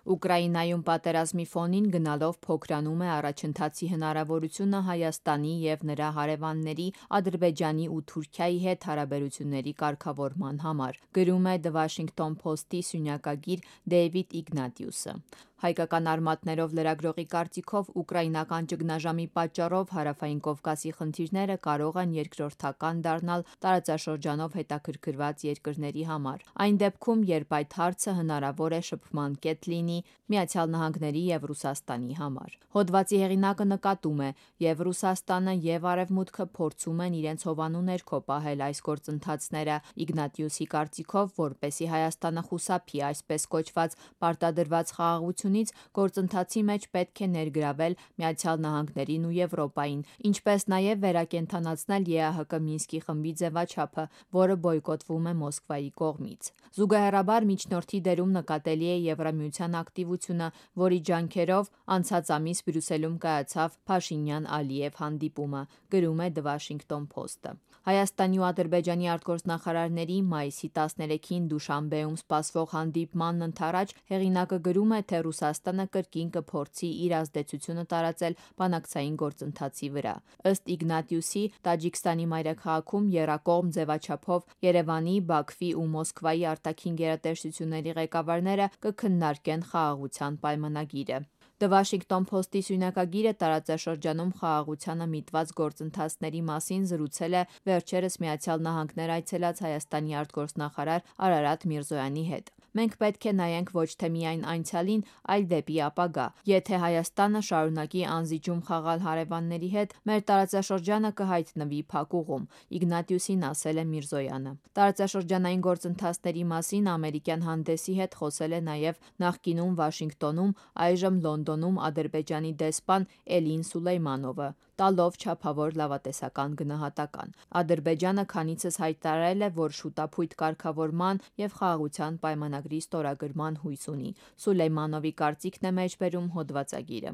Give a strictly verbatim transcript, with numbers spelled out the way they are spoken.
Ուկրաինայում պատերազմի ֆոնին գնալով փոքրանում է առաջընթացի հնարավորությունը Հայաստանի և նրա հարևանների Ադրբեջանի ու Թուրքիայի հետ հարաբերությունների կարգավորման համար, գրում է The Washington Post-ի սյունյակագիր Դեյվիդ Իգնատիուսը։ Հայկական արմատներով լրագրողի կարծիքով ուկրաինական ճգնաժամի պատճառով Հարավային Կովկասի խնդիրները կարող են երկրորդական դառնալ տարածաշրջանով հետաքրքրված երկրների համար, այն դեպքում, երբ այդ հարցը հնարավոր է շփման կետ լինի ԱՄՆ-ի և Ռուսաստանի համար։ Հոդվածի հեղինակը նկատում է, և Ռուսաստանը, և Արևմուտքը փորձում են իրենց հովանու ներքո պահել այս գործընթացները։ Իգնատիուսի կարծիքով, որպեսզի Հայաստանը խուսափի այսպես կոչված պարտադրված խաղաղությունից, գործընթացի մեջ պետք է ներգրավել ԱՄՆ-ին ու Եվրոպային, ինչպես նաև վերակենդանացնել ԵԱՀԿ Մինսկի խմբի ձևաչափը, որը բոյկոտվում է Մոսկվայի կողմից։ Զուգահեռաբար միջնորդի դերում նկատելի է Եվրամիության ակտիվությունը, որի ջանքերով անցած ամիս Բրյուսելում կայացավ Փաշինյան-Ալիև հանդիպումը, գրում է The Washington Post-ը։ Հայաստանի ու Ադրբեջանի արտգործնախարարների մայիսի տասներեքին Դուշանբեում սպասվող հանդիպմանն ընդառաջ հեղինակը գրում է, թե Ռուսաստանը կրկին կփորձի իր ազդեցությունը տարածել բանակցային գործընթացի վրա։ Ըստ Իգնատիուսի, Տաջիկստանի մայրաքաղաքում եռակողմ ձևաչափով Երևանի, Բաքվի ու Մոսկվայի արտաքին գերատեսչությունների ղեկավարները կքննարկեն խաղաղության պայմանագիրը։ The Washington Post-ի սյունյակագիրը տարածաշրջանում խաղաղությանը միտված գործընթացների մասին զրուցել է վերջերս ԱՄՆ այցելած Հայաստանի արտգործնախարար Արարատ Միրզոյանի հետ։ Մենք պետք է նայենք ոչ թե միայն անցյալին, այլ դեպի ապագա։ Եթե Հայաստանը շարունակի անզիջում խաղալ հարևանների հետ, մեր տարածաշրջանը կհայտնվի փակուղում, Իգնատիուսին ասել է Միրզոյանը։ Տարածաշրջանային գործընթացների մասին ամերիկյան հանդեսի հետ խոսել է նաև նախկինում Վաշինգտոնում, այժմ Լոնդոնում Ադրբեջանի դեսպան Էլին Սուլեյմանովը, տալով չափավոր լավատեսական գնահատական։ Ադրբեջանը քանիցս հայտարարել է, որ շուտափույթ կարգավորման և խաղաղության պայմանագրի ստորագրման հույս ունի։ Սուլեյմանովի կարծիքն է մեջբերում հոդվածագիրը։